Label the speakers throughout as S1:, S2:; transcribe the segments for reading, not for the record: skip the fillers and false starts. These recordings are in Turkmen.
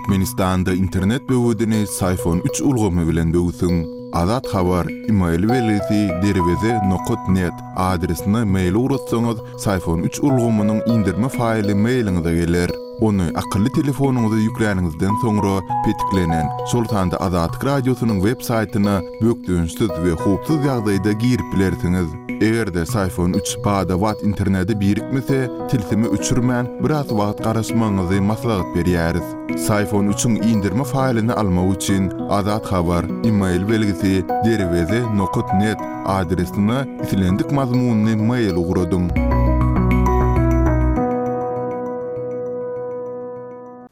S1: Türkmenistanda internet böwedini Syfon üç ulgamy bilen böwsüň. Azat Habar, email belgisi derweze nokat net adresine mail ugratsaňyz, Syfon üç ulgamynyň indirme faýly mailiňize geler. Ony akylly telefonyňyza ýükläniňizden soňra petiklenen, şol sanda Azatlyk Radiosynyň web saýtyna bökdençsiz we howpsuz ýagdaýda girip bilersiňiz. Eger-de Syfon üç bada-bat internete birikmese, tilsimi öçürmän, biraz wagt garaşmagyňyzy maslahat berýäris. Syfon üçiň indirme faýlyny almak üçin Azat Habar, email belgisi, derweze nokat net adresine islendik mazmunly mail ugradyň.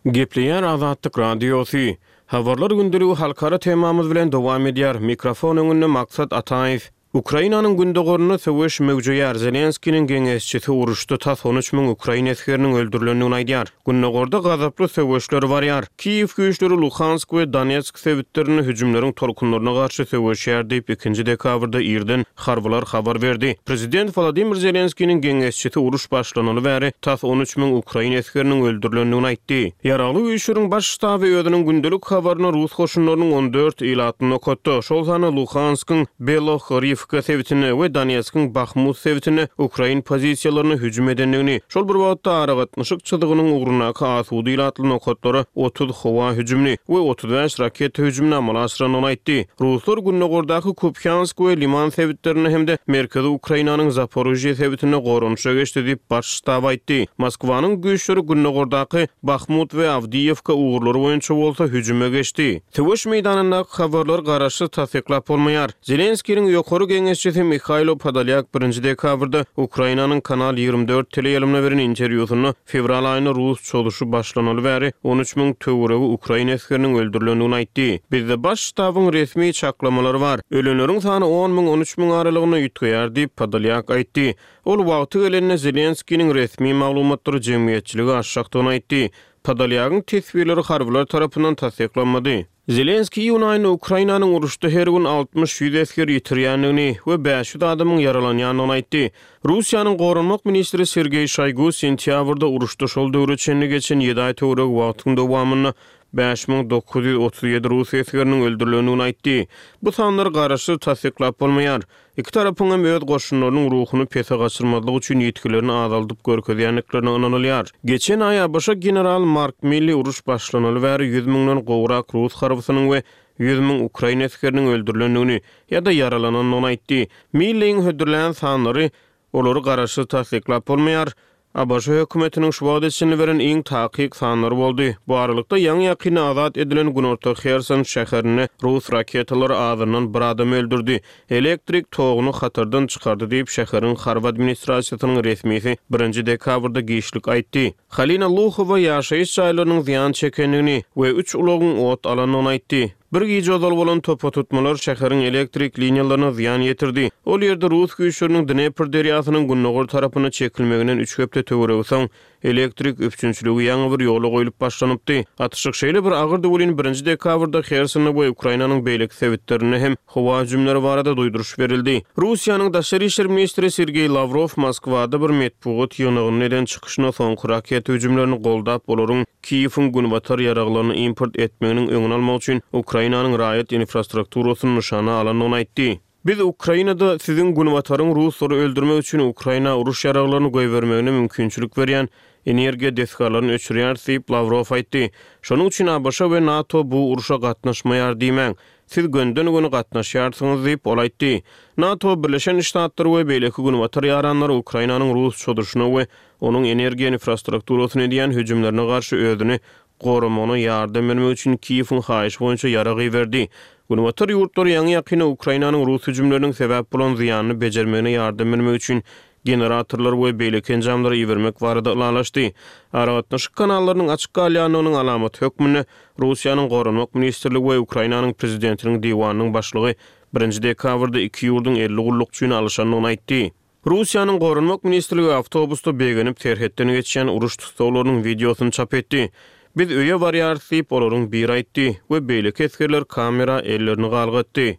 S2: Gepleýär Azatlyk Radiosy. Habarlar gündeligi halkara temamyz bilen dowam edýär. Mikrofon öňünde Maksat Ataýew. Ukrainanyň gündogarynda söweş möwjeýär, Zelenskiniň geňeşçisi uruşda tas on üç müň ukrain esgeriniň öldürilendigini aýdýar. Gündogarda gazaply söweşler barýar. Kiýew güýçleri Luhansk we Donetsk sebitlerinde hüjümleriň tolkunlaryna garşy söweşýär diýip, ikinji dekabrda irden harbylar habar berdi. Prezident Wolodymyr Zelenskiniň geňeşçisi uruş başlanaly bäri tas on üç müň ukrain esgeriniň öldürilendigini aýtdy. Ýaragly Güýçleriň Baş ştaby özüniň gündelik habarynda rus goşunlarynyň on dört ilatly nokatda, şol sanda Luhanskyň Belohoriwka sebitinde we Donetskiň Bahmut sebitinde ukrain pozisiýalaryna hüjüm edendigini, şol bir wagtda aragatnaşyk çyzygynyň ugrundaky asuda ilatly nokatlara 30 howa hüjümini we 35 raketa hüjümini amala aşyrandygyny aýtdy. Ruslar gündogardaky Kupýansk we Liman sebitlerinde hem-de merkezi Ukrainanyň Zaporižýe sebitinde goranyşa geçdi diýip, Baş ştab aýtdy. Moskwanyň güýçleri gündogardaky Bahmut we Awdiýewka ugurlary boýunça bolsa hüjüme geçdi. Söweş meýdanyndaky habarlary garaşsyz tassyklap bolmaýar. Zelenskiniň ýokary geňeşçisi Mihailo Podolýak birinji dekabrda Ukrainanyň Kanal 24 teleýaýlymyna beren interwýusynda fewral aýynda rus çozuşy başlanaly bäri 13 müň töweregi ukrain esgeriniň öldürilendigini aýtdy. Bizde Baş ştabyň resmi çaklamalary bar. Ölenleriň sany on müň, on üç müň aralygynda üýtgeýär diýip, Podolýak aýtdy. Ol wagty gelende Zelenskiniň resmi maglumatlary jemgyýetçilige açjakdygyny aýtdy. Podolýagyň teswirleri harbylar tarapyndan tassyklanmady. Zelenskiý iýun aýynda Ukrainanyň uruşda her gün altmyş-ýüz esger ýitirýändigini we 500 adamyň ýaralanýandygyny aýtdy. Russiýanyň goranmak ministri Sergeý Şoýgu sentýabrda uruşda şol döwre çenli geçen ýedi aý töweregi wagtyň dowamynda 5937 rus esgeriniň öldürilendigini aýtdy. Bu sanlary garaşsyz tassyklap bolmaýar. Iki tarapyň hem öz goşunlarynyň ruhuny pese gaçyrmazlyk üçin ýitgilerini azaldyp görkezýändiklerine ynanylýar. Geçen aý ABŞ general Mark Milli uruş başlanaly bäri ýüz müňden gowrak rus harbysynyň we 100 müň ukrain esgeriniň öldürilendigini ýa-da ýaralanandygyny aýtdy. Milliň hödürlän sanlary Olary garaşsyz tassyklap bolmaýar. ABŞ hökümetiniň şu wagta çenli beren iň takyk sanlary boldy. Bu aralykda, ýaňy-ýakynda azat edilen günorta Herson şäherinde rus raketalary azyndan bir adamy öldürdi, elektrik toguny hatardan çykardy diýip, şäheriň harby administrasiýasynyň resmisi birinji dekabrda giçlik aýtdy. Halina Luhowa ýaşaýyş jaýlarynyň zyýan çekendigini we üç ulagyň ot alandygyny aýtdy. Bir gije ozal bolan topa tutmalar şäheriň elektrik liniýalaryna zyýan ýetirdi. Ol ýerde rus güýçleriniň Dnepr derýasynyň gündogar tarapyna çekilmeginden üç hepde töweregi soň, elektrik üpjünçiligi ýaňy bir ýola goýlup başlanypdy. Atyşyk şeýle bir agyrdy welin, birinji dekabrda Hersonda we Ukrainanyň beýleki sebitlerinde hem howa hüjümleri barada duýduryş berildi. Russiýanyň daşary işler ministri Sergeý Lawrow Moskwada bir metbugat ýygnagynda eden çykyşynda soňky raketa hüjümlerini goldap, olaryň Kiýewiň Günbatar ýaraglaryny import etmeginiň öňüni almak üçin Ukrainanyň raýat infrastrukturasyny nyşana alandygyny aýtdy. Biz Ukrainada siziň Günbataryň ruslary öldürmek üçin Ukraina uruş ýaraglaryny goýbermegine mümkinçilik berýän energiýa desgalaryny öçürýäris diýip, Lawrow aýtdy. Şonuň üçin ABŞ we NATO bu urşa gatnaşmaýar diýmäň. Siz gönden-göni gatnaşýarsyňyz diýip, ol aýtdy. NATO, Birleşen Ştatlar we beýleki Günbatar ýaranlary Ukrainanyň rus çozuşyna we onuň energiýa infrastrukturasyna edýän hüjümlerine garşy özüni goramagyna ýardam bermek üçin Kiýewiň haýyşy boýunça ýarag iberdi. Günbatar ýurtlary ýaňy-ýakynda Ukrainanyň rus hüjümleriniň sebäp bolan zyýanyny bejermegine ýardam bermek üçin generatorlar we beýleki enjamlary ibermek barada ylalaşdy. Aragatnaşyk kanallarynyň açyk galýandygynyň alamaty hökmünde Russiýanyň Goranmak ministrligi we Ukrainanyň Prezidentiniň diwanynyň başlygy birinji dekabrda iki ýurduň 50 gullukçyny alyşandygyny aýtdy. Russiýanyň Goranmak ministrligi awtobusda begenip serhetden geçýän uruş tussaglarynyň wideosyny çap etdi. Biz öýe barýarys diýip, olaryň biri aýtdy we beýleki esgerler kamera ellerini galgatdy.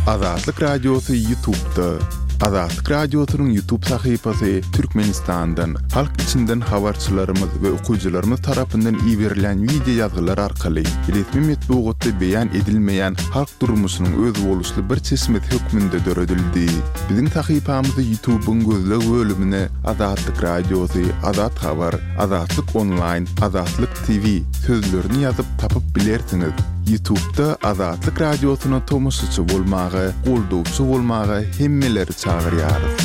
S1: Azatlyk Radiosy YouTube'da. Azatlyk Radiosynyň YouTube sahypasy Türkmenistandan, halk içinden habarçylarymyz we okyjylarymyz tarapyndan iberilýän wideo ýazgylar arkaly resmi metbugatda beýan edilmeýän halk durmuşynyň özboluşly bir çeşmesi hökmünde döredildi. Biziň sahypamyzy YouTube-yň gözleg bölümine Azatlyk Radiosy, Azat Habar, Azatlyk Onlaýn, Azatlyk TV sözlerini ýazyp tapyp bilersiňiz. Ýutubda Azatlyk Radiosyna tomaşaçy bolmaga, goldawçy bolmaga hemmeleri çagyrýarys.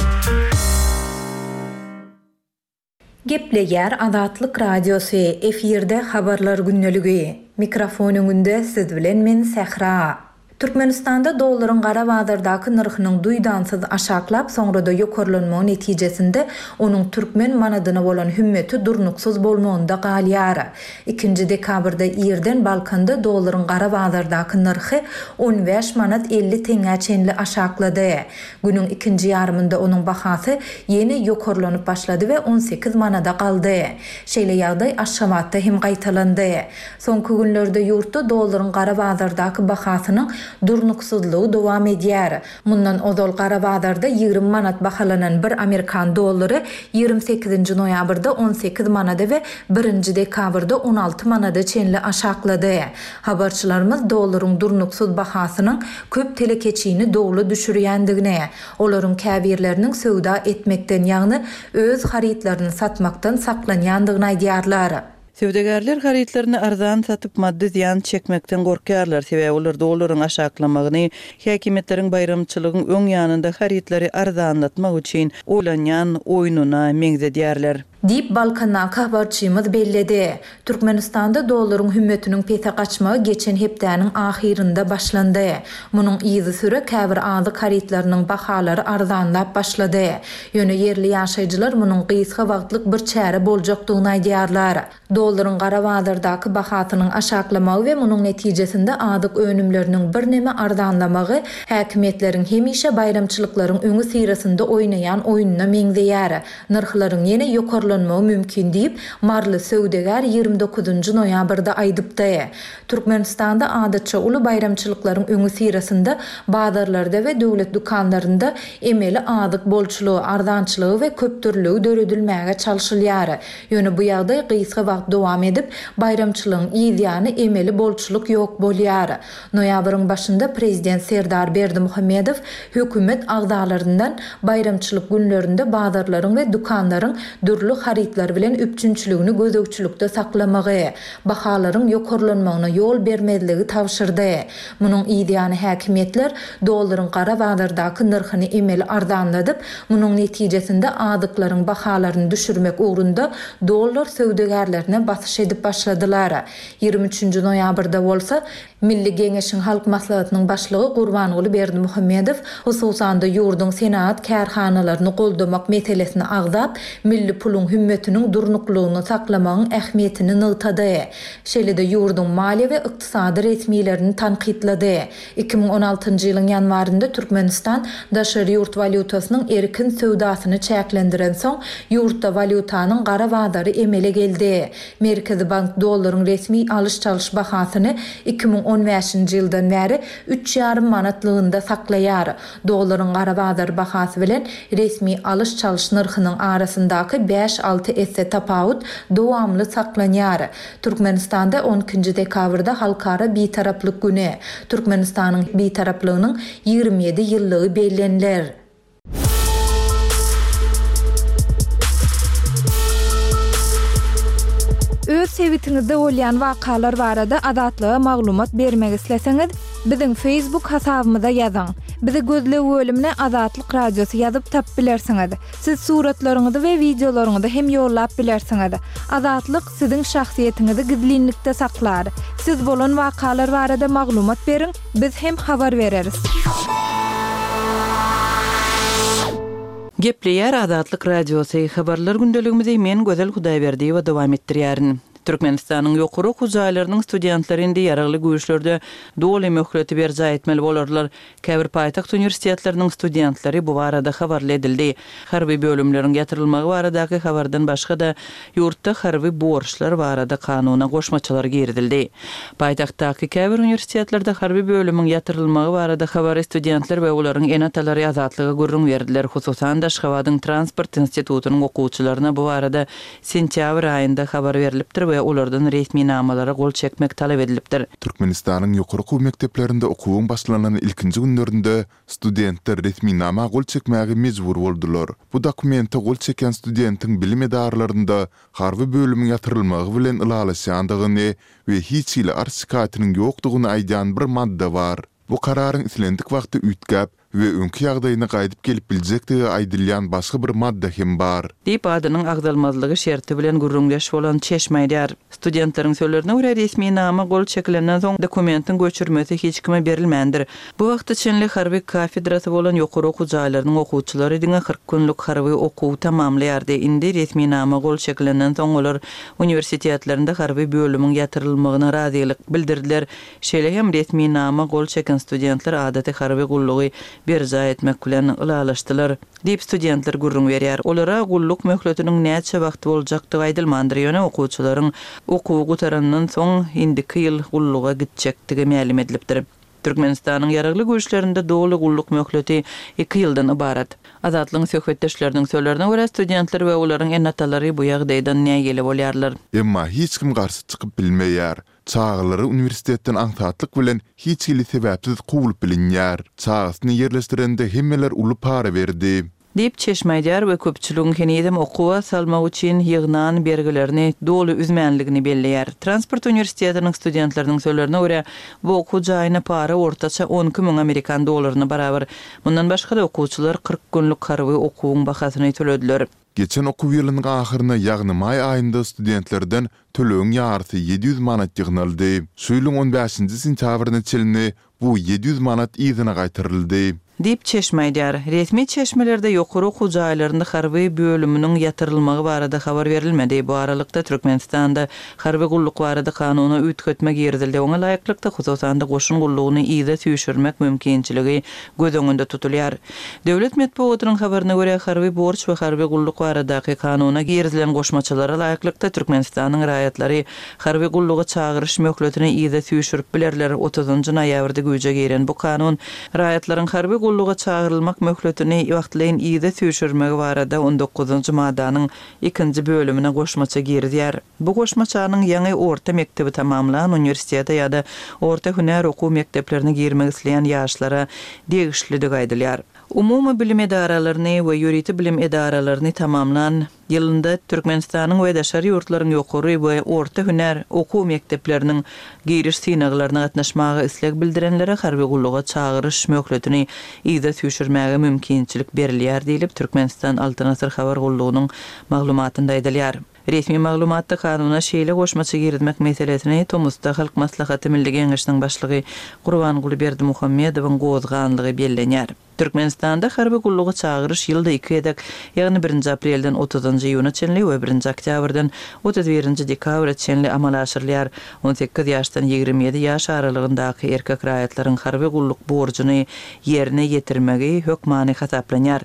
S3: Gepleýär Azatlyk Radiosy, efirde Habarlar gündeligi. Mikrofon öňünde siz bilen men Sähra. Türkmenistanda dollaryň gara bazardaky nyrhynyň duýdansyz aşaklap, soňra-da ýokarlanmagy netijesinde onuň türkmen manadyna bolan hümmeti durnuksyz bolmagynda galýar. Ikinji dekabrda irden Balkanda dollaryň gara bazardaky nyrhy 15 manat 50 teňňä çenli aşaklady. Günüň ikinji ýarymynda onuň bahasy ýene ýokarlanyp başlady we 18 manada galdy. Şeýle ýagdaý Aşgabatda hem gaýtalandy. Soňky günlerde ýurtda dollaryň gara bazardaky bahasynyň durnuksyzlygy dowam edýär. Mundan ozal gara bazarda 20 manat bahalanan bir amerikan dollary 28-nji noýabrda 18 manada we birinji dekabrda 16 manada çenli aşaklady. Habarçylarymyz dollaryň durnuksyz bahasynyň köp telekeçini dowla düşürýändigini, olaryň käbirleriniň söwda etmekden, ýagny öz harytlaryny satmakdan saklanýandygyny aýdýarlar.
S4: Söwdagärler harytlaryny arzan satyp, maddy zyýan çekmekden gorkýarlar, sebäbi olar dollaryň aşaklamagyny häkimiýetleriň baýramçylygyň öň ýanynda harytlary arzanlatmak üçin oýlanýan oýnuna meňzedýärler.
S3: Diýip, Balkandaky habarçymyz belledi. Türkmenistanda dollaryň hümmetiniň pese gaçmagy geçen hepdäniň ahyrynda başlandy. Munuň yzysüre käbir azyk harytlarynyň bahalary arzanlap başlady. Ýöne ýerli ýaşaýjylar munuň gysga wagtlyk bir çäre boljakdygyny aýdýarlar. Dollaryň gara bazardaky bahasynyň aşaklamagy we munuň netijesinde azyk önümleriniň birneme arzanlamagy häkimiýetleriň hemişe baýramçylyklaryň öňüsyrasynda oýnaýan oýnuna meňzeýär. Nyrhlaryň ýene ýokarlanmagy mümkin diýip, maryly söwdagär 29 noýabrda aýdypdy. Türkmenistanda adatça uly baýramçylyklaryň öňüsyrasynda bazarlarda we döwlet dükanlarynda emeli azyk bolçulygy, arzançylygy we köpdürlüligi döredilmäge çalşylýar. Ýöne bu ýagdaý gysga wagt dowam edip, baýramçylygyň yz ýany emeli bolçulyk ýok bolýar. Noýabryň başynda prezident Serdar Berdimuhamedow hökümet agzalaryndan baýramçylyk günlerinde bazarlaryň we dükanlaryň dürli harytlar bilen üpjünçiligini gözegçilikde saklamagy, bahalaryň ýokarlanmagyna ýol bermezligi tabşyrdy. Munuň yzýany häkimiýetler dollaryň gara bazardaky nyrhyny emeli arzanladyp, munuň netijesinde azyklaryň bahalaryny düşürmek ugrunda dollar söwdagärlerine basyş edip başladylar. 23-nji noýabrda bolsa, Milli Geňeşiň Halk Maslahatynyň Başlygy Gurbanguly Berdimuhamedow, hususan-da, ýurduň senagat kärhanalaryny goldamak meselesini agzap, milli puluň hümmetiniň durnuklylygyny saklamagyň ähmiýetini nygtady. Şeýle-de ýurduň maliýe we ykdysady resmilerini tankytlady. 2016-njy ýylyň ýanwarynda Türkmenistan daşary ýurt walýutasynyň erkin söwdasyny çäklendirensoň, ýurtda walýutanyň gara bazary emele geldi. Merkezi bank dollaryň resmi alyş-çalyş bahasyny 2015-nji ýyldan bäri üç ýarym manatlygynda saklaýar. Dollaryň gara bazar bahasy bilen resmi alyş-çalyş nyrhynyň arasyndaky bäş-alty esse tapawut dowamly saklanýar. Türkmenistanda on ikinji dekabrda Halkara Bitaraplyk güni, Türkmenistanyň Bitaraplygynyň 27 ýyllygy belleniler.
S5: Öz sebitiňizde bolýan wakalar barada Azatlyga maglumat bermek isleseňiz, biziň Facebook hasabymyza ýazyň. Bizi gözleg bölümine Azatlyk Radiosy ýazyp tapyp bilersiňiz. Siz suratlaryňyzy we wideolaryňyzy hem ýollap bilersiňiz. Azatlyk siziň şahsyýetiňizi gizlinlikde saklar. Siz bolan wakalar barada maglumat beriň, biz hem habar bereris.
S4: Gepleýär Azatlyk Radiosy, Habarlar gündeligimizi men Gözel Hudaýberdiýewa dowam etdirýärin. Türkmenistanyň ýokary okuw jaýlarynyň studentleri indi Ýaragly Güýçlerde doly möhleti berjaý etmeli bolarlar. Käbir paýtagt uniwersitetleriniň studentleri bu barada habarly edildi. Harby bölümleriň ýatyrylmagy baradaky habardan başga-da, ýurtda harby borçlar barada kanuna goşmaçalar girizildi. Paýtagtdaky käbir uniwersitetlerde harby bölümiň ýatyrylmagy barada habary studentler we olaryň ene-atalary Azatlyga gürrüň berdiler. Hususan-da, Aşgabadyň Transport institutynyň okuwçylaryna bu barada Sentýabr aýynda habar
S1: berlipdir we olardan resminamalara gol çekmek talap edilipdir. Türkmenistanyň ýokary okuw mekdeplerinde okuwyň başlanan ilkinji günlerinde studentler resminama gol çekmäge mejbur boldular. Bu dokumente gol çekýän studentiň bilim edaralarynda harby bölümiň ýatyrylmagy bilen ylalaşýandygyny we hiç hili arz-şikaýatynyň ýokdugyny aýdýan bir madda bar. Bu kararyň islendik wagtda üýtgäp we öňki ýagdaýyna gaýdyp gelip biljekdigi aýdylýan başga bir madda hem bar.
S4: Diýip, adynyň agzalmazlygy şerti bilen gürrüňdeş bolan çeşme aýdýar. Studentleriň sözlerine görä, resminama gol çekilenden soň dokumentiň göçürmesi hiç kime berilmändir. Bu wagta çenli harby kafedrasy bolan ýokary okuw jaýlarynyň okuwçylary diňe 40 günlük harby okuw tamamlaýardy. Indi resminama gol çekilenden soň olar uniwersitetlerinde harby bölümiň ýatyrylmagyna razylyk bildirdiler. Şeýle hem resminama gol çeken studentler adaty harby gullugy berjaý etmek bilen ylalaşdylar, diýip, studentler gürrüň berýär. Olara gulluk möhletiniň näçe wagt boljakdygy aýdylmandyr, ýöne okuwçylaryň okuwy gutarandan soň indiki ýyl gulluga gitjekdigi mälim edilipdir. Türkmenistanyň Ýaragly Güýçlerinde doly gulluk möhleti iki ýyldan ybarat. Azatlygyň söhbetdeşleriniň sözlerine görä, studentler we olaryň ene-atalary bu ýagdaýdan nägile bolýarlar.
S1: Emma hiç kim garşy çykyp bilmeýär. Çagalary uniwersitetden aňsatlyk bilen hiç hili sebäpsiz kowulyp bilinýär. Çagasyny ýerleşdirende hemmeler uly para berdi.
S4: Diýip, çeşme aýdýar we köpçüligiň henizem okuwa salmak üçin ýygnan bergilerini doly üzmänligini belleýär. Transport uniwersitetiniň studentleriniň sözlerine görä, bu okuw jaýyna para ortaça 12 müň amerikan dollaryna barabar. Mundan başga-da, okuwçylar 40 günlük harby okuwyň bahasyny tölediler.
S1: Geçen okuw ýylynyň ahyryna, ýagny maý aýynda studentlerden tölegiň ýarysy 700 manat ýygnaldy. Şu ýylyň on bäşinji sentýabryna çenli bu 700 manat yzyna gaýtaryldy.
S4: Diýip, çeşme aýdýar. Resmi çeşmelerde ýokary okuw jaýlarynda harby bölüminiň ýatyrylmagy barada habar berilmedi. Bu aralykda, Türkmenistanda harby gulluk barada kanuna üýtgetme girizildi. Oňa laýyklykda, hususan-da, goşun gullugyny yza süýşürmek mümkinçiligi göz öňünde tutulýar. Döwlet metbugatynyň habaryna görä, harby borç we harby gulluk baradaky kanuna girizilen goşmaçalara laýyklykda, Türkmenistanyň raýatlary harby gulluga çagyryş möhletini yza süýşürip bilerler. Otuzynjy noýabrda güýje giren bu kanun raýatlaryň harby gulluga çagyrylmak möhletini wagtlaýyn yza süýşürmegi barada on dokuzynjy maddanyň ikinji bölümine goşmaça girizýär. Bu goşmaçanyň ýaňy orta mekdebi tamamlan, uniwersitete ýa-da orta hünär okuw mekdeplerine girmek isleýän ýaşlara degişlidigi aýdylýar. Umumy bilim edaralaryny we ýörite bilim edaralaryny tamamlan ýylynda Türkmenistanyň we daşary ýurtlaryň ýokary we orta hünär okuw mekdepleriniň giriş synaglaryna gatnaşmaga isleg bildirenlere harby gulluga çagyryş möhletini yza süýşürmäge mümkinçilik berilýär diýlip, Türkmenistan Altyn Asyr habar gullugynyň maglumatynda aýdylýar. Resmi maglumatda kanuna şeýle goşmaça girizmek meselesini tomusda Halk Maslahaty Milli Geňeşiniň Başlygy Gurbanguly Berdimuhamedowyň gozganlygy bellenýär. Türkmenistanda harby gulluga çagyryş ýylda iki gezek, ýagny birinji aprelden otuzynjy iýuna çenli we birinji oktýabrdan 31 nji dekabra çenli amala aşyrylýar. On sekiz ýaşdan 27 ýaş aralygyndaky erkek raýatlaryň harby gulluk borjuny ýerine ýetirmegi hökmany hasaplanýar.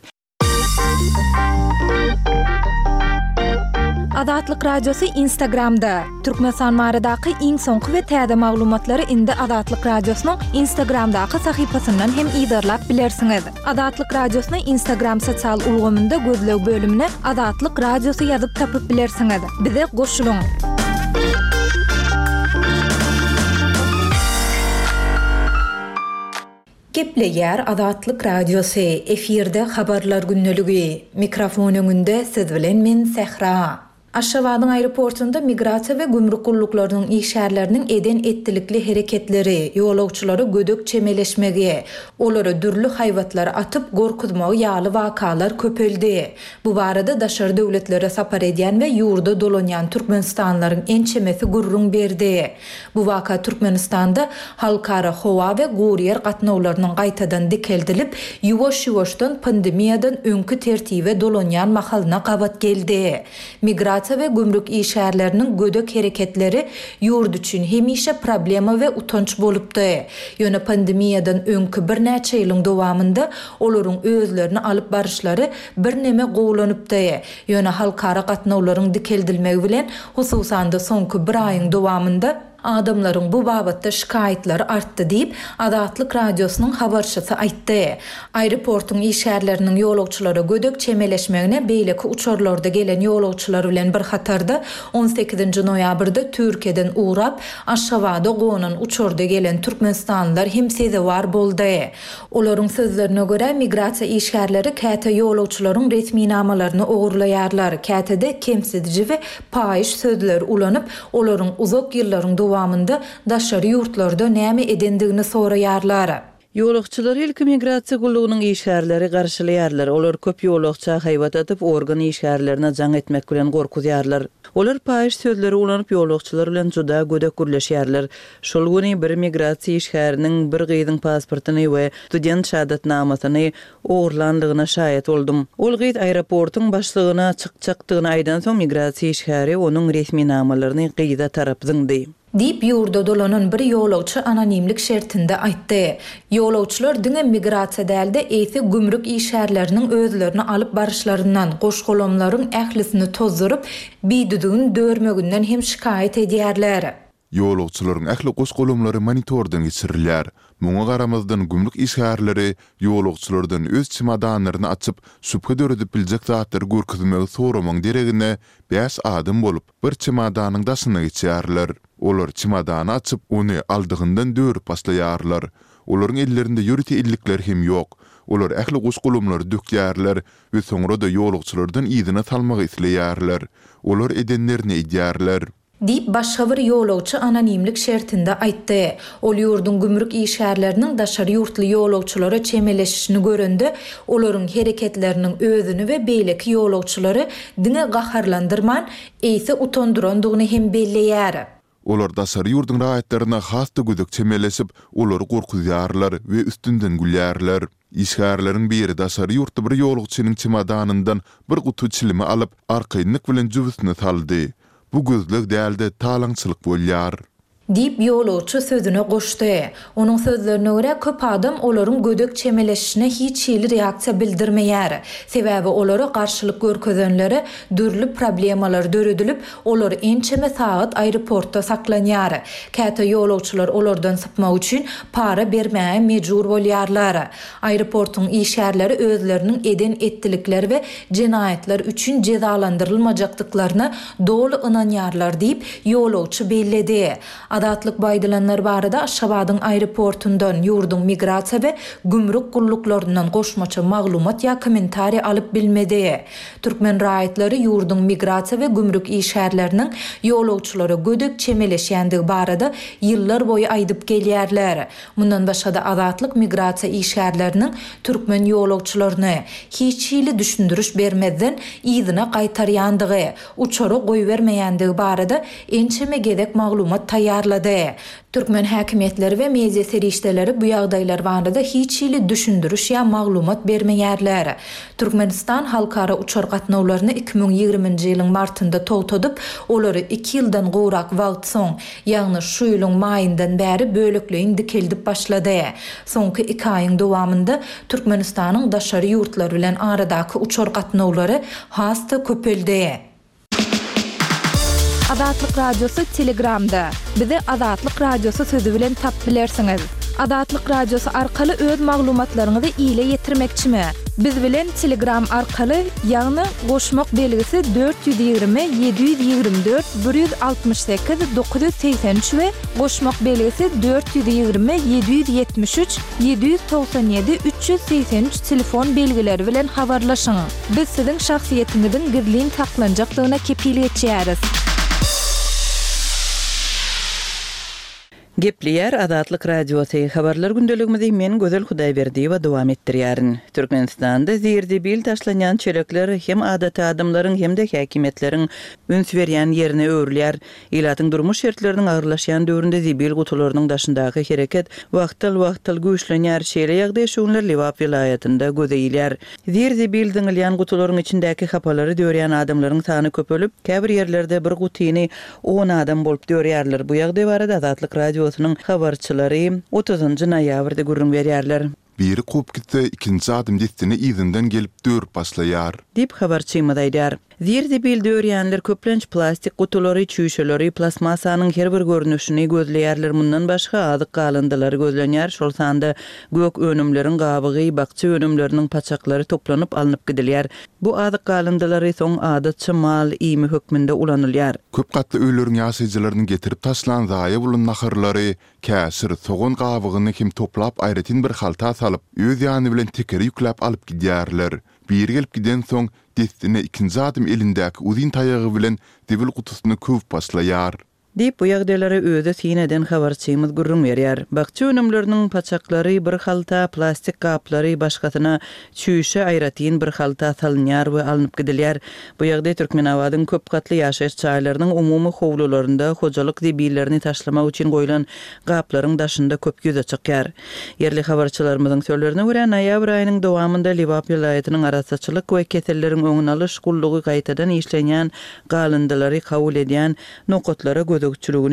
S3: Azatlyk Radiosy Instagramda, Türkmenistan baradaky iň soňky we täze maglumatlary indi Azatlyk Radiosynyň Instagramdaky sahypasyndan hem yzarlap bilersiňiz. Azatlyk Radiosyny Instagram sosial ulgamynda gözleg bölümine Azatlyk Radiosy ýazyp tapyp bilersiňiz. Bize goşulyň! Gepleýär Azatlyk Radiosy, efirde Habarlar gündeligi. Mikrofon öňünde siz bilen men Sähra. Aşgabadyň aeroportunda migrasiýa we gümrük gulluklarynyň işgärleriniň eden-etdilikli hereketleri, ýolagçylara gödek çemeleşmegi, olara dürli haýbatlar atyp gorkuzmagy ýaly wakalar köpeldi. Bu barada daşary döwletlere sapar edýän we ýurda dolanýan türkmenistanlylaryň ençemesi gürrüň berdi. Bu waka Türkmenistanda halkara howa we guryýer gatnawlarynyň gaýtadan dikeldilip, ýuwaş-ýuwaşdan pandemiýadan öňki tertibe dolanýan mahalyna gabat geldi. Migrasiýa. migrasiýa we gümrük işgärleriniň gödek hereketleri ýurt üçin hemişe problema we utanç bolupdy. Ýöne pandemiýadan öňki birnäçe ýylyň dowamynda olaryň özlerini alyp baryşlary birneme gowulanypdy. Ýöne halkara gatnawlaryň dikeldilmegi bilen, hususan-da soňky bir aýyň dowamynda, Adamlaryň bu babatda şikaýatlary artdy diýip, Azatlyk Radiosynyň habarçysy aýtdy. Aeroportuň işgärleriniň ýolagçylara gödek çemeleşmegine beýleki uçarlarda gelen ýolagçylar bilen bir hatarda, on sekizinji noýabrda Türkiýeden ugrap, Aşgabada gonan uçarda gelen türkmenistanlylar hem sezewar boldy. Olaryň sözlerine görä, migrasiýa işgärleri käte ýolagçylaryň resminamalaryny ogurlaýarlar, käte-de kemsidiji we paýyş sözleri ulanyp, olaryň uzak ýyllaryň dowamynda daşary ýurtlarda näme edendigini soraýarlar.
S4: Ýolagçylary ilki migrasiýa gullugynyň işgärleri garşylaýarlar. Olar köp ýolagça haýbat atyp, organ işgärlerine jaň etmek bilen gorkuzýarlar. Olar paýyş sözleri ulanyp, ýolagçylar bilen juda gödek gürleşýärler. Şol güni bir migrasiýa işgäriniň bir gyzyň pasportyny we student şahadatnamasyny ogurlandygyna şaýat boldum. Ol gyz aeroportuň başlygyna çykjakdygyny aýdansoň, migrasiýa işgäri onuň resminamalaryny gyza tarap zyňdy.
S3: Diýip, ýurda dolanan bir ýolagçy anonimlik şertinde aýtdy. Ýolagçylar diňe migrasiýa däl-de, eýse gümrük işgärleriniň özlerini alyp baryşlaryndan, goş-golamlaryň ählisini tozduryp, bidüzgün dörmeginden hem şikaýat edýärler.
S1: Ýolagçylaryň ähli goş-golamlary monitordan geçirilýär. Muňa garamazdan gümrük işgärleri ýolagçylardan öz çemodanlaryny açyp, şübhe döredip biljek zatlary görkezmegi soramagyň deregine, bäş adam bolup, bir çemodanyň daşyna geçýärler. Olar çemodany açyp, ony aldygyndan dörüp başlaýarlar. Olaryň ellerinde ýörite ellikler hem ýok. Olar ähli goş-golamlary dökýärler we soňra-da ýolagçylardan yzyna salmagy isleýärler. Olar edenlerini edýärler.
S3: Diýip, başga bir ýolagçy anonimlik şertinde aýtdy. Ol ýurduň gümrük işgärleriniň daşary ýurtly ýolagçylara çemeleşişini görende, olaryň hereketleriniň özüni we beýleki ýolagçylary diňe gaharlandyrman, eýse utandyrandygyny hem belleýär.
S1: Olar daşary ýurduň raýatlaryna has-da gödek çemeleşip, olary gorkuzýarlar we üstünden gülýärler. Işgärleriň biri daşary ýurtly bir ýolagçynyň çemodanyndan bir guty çilimi alyp, arkaýynlyk bilen jübüsine saldy. Bu gözleg däl-de, talaňçylyk bolýar.
S3: Diýip, ýolagçy sözüne goşdy. Onuň sözlerine görä, köp adam olaryň gödek çemeleşişine hiç hili reaksiýa bildirmeýär. Sebäbi olara garşylyk görkezenlere dürli problemalar döredilip, olar ençeme sagat aeroportda saklanýar. Käte ýolagçylar olardan sypmak üçin para bermäge mejbur bolýarlar. Aeroportuň işgärleri özleriniň eden-etdilikleri we jenaýatlar üçin jezalandyrylmajakdyklaryna doly ynanýarlar diýip, ýolagçy belledi. Azatlyk bu aýdylanlar barada Aşgabadyň aeroportundan, ýurduň migrasiýa we gümrük gulluklaryndan goşmaça maglumat ýa kommentariý alyp bilmedi. Türkmen raýatlary ýurduň migrasiýa we gümrük işgärleriniň ýolagçylara gödek çemeleşýändigi barada ýyllar boýy aýdyp gelýärler. Mundan başga-da Azatlyk migrasiýa işgärleriniň türkmen ýolagçylaryny, hiç hili düşündiriş bermezden, yzyna gaýtarýandygy, uçara goýbermeýändigi barada ençeme gezek maglumat taýýarlady. Türkmen häkimiýetleri we media serişdeleri bu ýagdaýlar barada hiç hili düşündiriş ýa maglumat bermeýärler. Türkmenistan halkara uçar gatnawlaryny 2020-nji ýylyň martynda togtadyp, olary iki ýyldan gowrak wagt soň, ýagny şu ýylyň maýyndan bäri bölekleýin dikeldip başlady. Soňky iki aýyň dowamynda Türkmenistanyň daşary ýurtlar bilen aradaky uçar gatnawlary has-da köpeldi.
S5: Azatlyk Radiosy Telegramda. Bizi Azatlyk Radiosy sözi bilen tapyp bilersiňiz. Azatlyk Radiosy arkaly öz maglumatlaryňyzy ile ýetirmekçimi? Biz bilen Telegram arkaly, ýagny goşmak belgisi 420 724 168 983 we goşmak belgisi 420 773 797 383 telefon belgileri bilen habarlaşyň. Biz siziň şahsyýetiňiziň gizlin saklanjakdygyna kepil geçýäris.
S4: Gepleýär Azatlyk Radiosy, Habarlar gündeligimizi men Gözel Hudaýberdiýewa dowam etdirýärin. Türkmenistanda zir-zibil taşlanýan çelekler hem adaty adamlaryň hem-de häkimiýetleriň üns berýän ýerine öwrülýär. Ilatyň durmuş şertleriniň agyrlaşýan döwründe zibil gutularynyň daşyndaky hereket wagtal-wagtal güýçlenýär. Şeýle ýagdaý şu günler Lebap welaýatynda göze ilýär. Zir-zibil zyňylýan gutularyň içindäki hapalary dörýän adamlaryň sany köpelip, käbir ýerlerde bir gutyny on adam bolup dörýärler. Bu ýagdaý barada Azatlyk Radiosynyň habarçylary otuzynjy noýabrda gürrüň berýärler.
S1: Biri kowup gitse, ikinji adam dessine yzyndan gelip dörüp başlaýar.
S4: Diýip, habarçymyz aýdýar. Zir-zibil dörýänler köplenç plastik gutulary, çüýşeleri, plastmassanyň her bir görnüşini gözleýärler. Mundan başga, azyk galyndylary gözlenýär, şol sanda gök önümleriň gabygy, bakja önümleriniň paçaklary toplanyp alnyp gidilýär. Bu azyk galyndylary soň adatça mal iými hökmünde ulanylýar.
S1: Köp gatly öýleriň ýaşaýjylarynyň getirip taşlan zaýa bolan naharlary, käşir, sogan gabygyny hem toplap aýratyn bir halta salyp, öz ýany bilen tekere ýükläp alyp gidýärler. Biri gelip gidensoň, dessine ikinji adam elindäki uzyn taýagy bilen zibil gutusyny köwüp başlaýar.
S4: Diýip, bu ýagdaýlara özi syn eden habarçymyz gürrüň berýär. Bakja önümleriniň paçaklary bir halta, plastik gaplary başgasyna, çüýşe aýratyn bir halta salynýar we alnyp gidilýär. Bu ýagdaý Türkmenabadyň köp gatly ýaşaýyş jaýlarynyň umumy howlularynda hojalyk zibillerini taşlamak üçin goýlan gaplaryň daşynda köp ýüze çykýar. Ýerli habarçylarymyzyň sözlerine görä, noýabr aýynyň dowamynda Lebap welaýatynyň Arassaçylyk we keselleriň öňüni alyş gullugy gaýtadan işlenýän galyndylary kabul edýän nokatlara gözegçiligini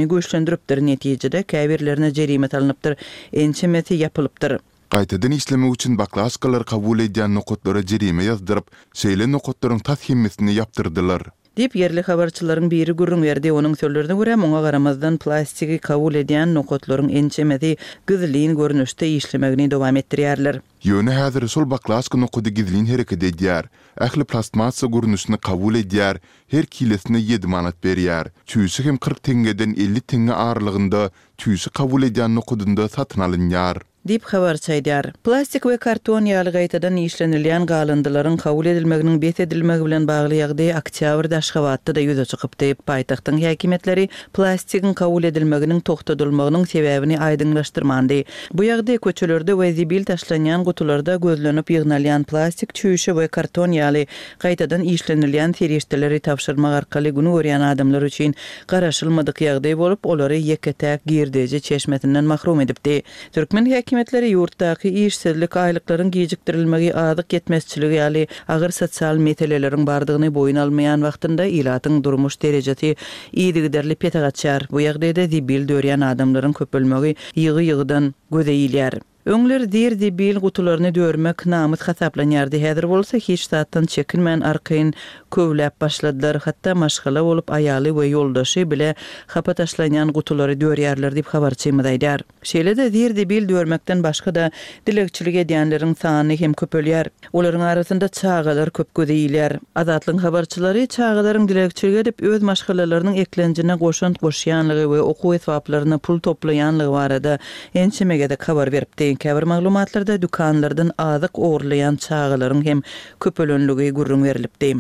S4: güýçlendiripdir, netijede käbirlerine jerime salnypdyr, ençemesi ýapylypdyr.
S1: Gaýtadan işlemek üçin baklaşkalary kabul edýän nokatlara jerime ýazdyryp, şeýle nokatlaryň tas hemmesini ýapdyrdylar.
S4: Diýip, ýerli habarçylaryň biri gürrüň berdi. Onuň sözlerine görä, muňa garamazdan, plastigi kabul edýän nokatlaryň ençemesi gizlin görnüşde işlemegini dowam etdirýärler.
S1: Ýöne häzir şol baklaşka nokady gizlin hereket edýär. Ähli plastmassa görnüşini kabul edýär, her kilesine ýedi manat berýär. Çüýşe hem 40 teňňeden 50 teňňe aralygynda çüýşe kabul edýän nokadynda satyn alynýar.
S4: Diýip, habarçy aýdýar. Plastik we karton ýaly gaýtadan işlenilýän galyndylaryň kabul edilmeginiň bes edilmegi bilen bagly ýagdaý oktýabrda Aşgabatda-da ýüze çykypdy. Paýtagtyň häkimiýetleri plastigiň kabul edilmeginiň togtadylmagynyň sebäbini aýdyňlaşdyrmandy. Bu ýagdaý köçelerde we zibil taşlanýan gutularda gözlenip ýygnalýan plastik çüýşe we karton ýaly gaýtadan işlenilýän serişdeleri tabşyrmak arkaly gün görýän adamlar üçin garaşylmadyk ýagdaý bolup, olary ýeke-täk girdeji çeşmesinden mahrum edipdi. Türkmen häkimiýetleri ýurtdaky işsizlik, aýlyklaryň gijikdirilmegi, azyk ýetmezçiligi ýaly agyr sosial meseleleriň bardygyny boýun almaýan wagtynda ilatyň durmuş derejesi yzygiderli pese gaçýar. Bu ýagdaýda zibil dörýän adamlaryň köpelmegi ýygy-ýygydan göze ilýär. Öňler zir-zibil gutularyny dörmek namys hasaplanýardy, häzir bolsa hiç zatdan çekinmän arkaýyn köwläp başladylar, hatda maşgala bolup aýaly we ýoldaşy bile hapa taşlanýan gutulary dörýärler diýip habarçymyz aýdýar. Şeýle-de zir-zibil dörmekden başga-da dilegçilik edýänleriň sany hem köpelýär. Olaryň arasynda çagalar köp göze ilýär. Azatlygyň habarçylary çagalaryň dilegçilik edip, öz maşgalalarynyň eklenjine goşant goşýanlygy we okuw esbaplaryna pul toplaýanlygy barada ençeme gezek habar beripdi. Käbir maglumatlarda dükanlardan azyk ogurlaýan çagalaryň hem köpelenligi gürrüň berlipdi.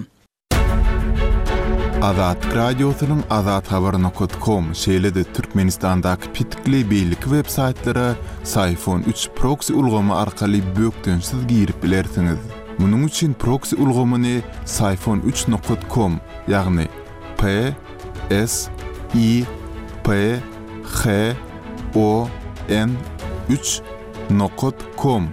S1: Azatlyk Radiosynyň Azathabar nokat kom, şeýle-de Türkmenistandaky petikli beýleki web saýtlara Syfon üç proksi ulgamy arkaly bökdençsiz girip bilersiňiz. Munuň üçin proksi ulgamyny Syfon üç nokat kom, ýagny P S I P H O N üç nokat kom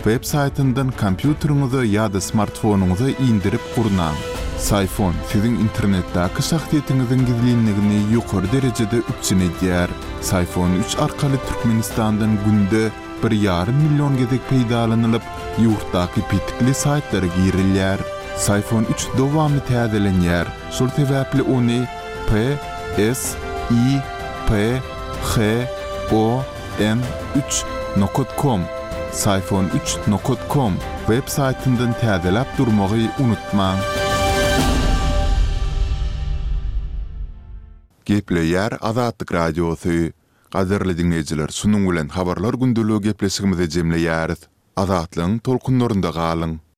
S1: Web saýtyndan kompýuteriňize ýa-da smartfonyňyza indirip gurnaň. Syfon siziň internetdäki şahsyýetiňiziň gizlinligini ýokary derejede üpjün edýär. Syfon üç arkaly Türkmenistandan günde bir ýarym million gezek peýdalanylyp, ýurtdaky petikli saýtlara girilýär. Syfon üç dowamly täzelenýär, şol sebäpli ony P S I P H O N üç nokat kom Syfon üç nokat kom web saýtyndan täzeläp durmagy unutmaň. Gepleýär Azatlyk Radiosy. Gadyrly diňleýjiler şunuň bilen Habarlar gündeligi gepleşigimizi jemleýäris. Azatlygyň tolkunlarynda galyň!